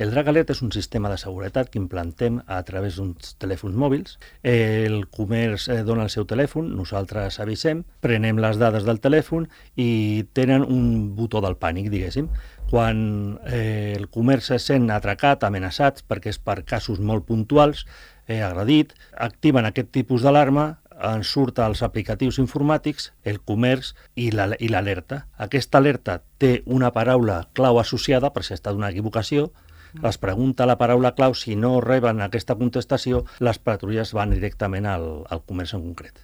El Drag Alert és un sistema de seguretat que implantem a través d'uns telèfons mòbils. El comerç dona el seu telèfon, nosaltres avisem, prenem les dades del telèfon i tenen un botó del pànic, diguéssim. Quan el comerç es sent atracat, amenaçat, perquè és per casos molt puntuals, agredit, activen aquest tipus d'alarma, en surt als aplicatius informàtics, el comerç i l'alerta. Aquesta alerta té una paraula clau associada, per si ha estat una equivocació, es pregunta la paraula clau, si no reben aquesta contestació, les patrulles van directament al comerç en concret.